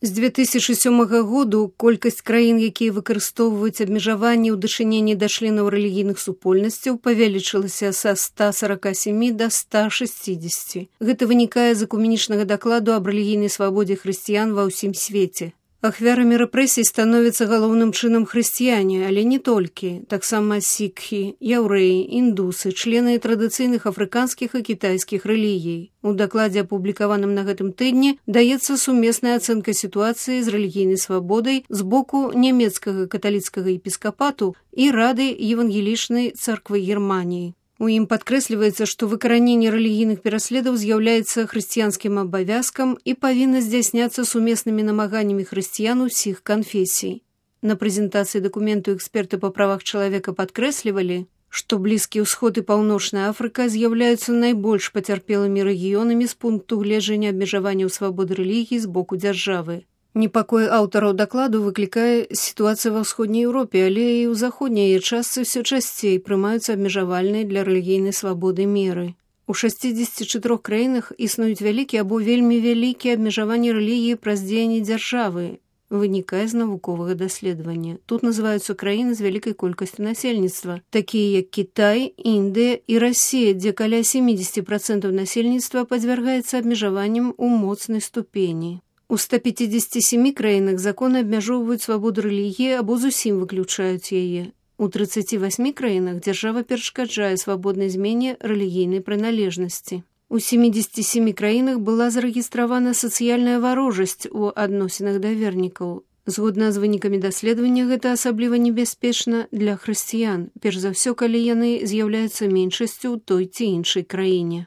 З 2007 году колькасць краін, якія выкарыстоўваюць абмежаванні ў дачыненні да членаў рэлігійных супольнасцяў, павялічылася са 147 да 160. Гэта вынікае з экуменічнага дакладу аб рэлігійнай свабодзе хрысціян ва ўсім свеце. Ахвярамі рэпрэсій становяцца галоўным чынам хрысціяне, але не толькі. Таксама сікхі, яўрэі, індусы, члены традыцыйных афрыканскіх і кітайскіх рэлігій. У дакладзе, апублікаваным на гэтым тыдні, даецца сумесная ацэнка сітуацыі з рэлігійнай свабодай з боку нямецкага каталіцкага епіскапату і Рады Евангелічнай царквы Германіі. У ім падкрэсліваецца, што выкараненне рэлігійных пераследаў з'яўляецца хрысціянскім абавязкам і павінна здзяйсняцца сумеснымі намаганнямі хрысціян усіх канфесій. На прэзентацыі дакументу эксперты па правах чалавека падкрэслівалі, што Блізкі ўсход і Паўночная Афрыка з'яўляюцца найбольш пацярпелымі рэгіёнамі з пункту гледжання абмежаванняў свабоды рэлігіі з боку дзяржавы. Непакой аўтараў дакладу выклікае сітуацыя ва ўсходняй Еўропе, але і ў заходняй яе частцы ўсё часцей прымаюцца абмежавальныя для рэлігійнай свабоды меры. У 64 краінах існуюць вялікія або вельмі вялікія абмежаванні рэлігіі праз дзеянні дзяржавы, вынікае з навуковага даследавання. Тут называюцца краіны з вялікай колькасцю насельніцтва, такія як Кітай, Індыя і Расія, дзе каля 70% насельніцтва падвяргаецца абмежаванням у моцнай ступені. У 157 краінах законы абмяжоўваюць свабоду рэлігіі або зусім выключаюць яе. У 38 краінах дзяржава перашкаджае свабоднай змене рэлігійнай прыналежнасці. У 77 краінах была зарэгістравана сацыяльная варожасць у адносінах да вернікаў. Згодна з вынікамі даследавання, гэта асабліва небяспечна для хрысціян, перш за ўсё, калі яны з'яўляюцца меншасцю ў той ці іншай краіне.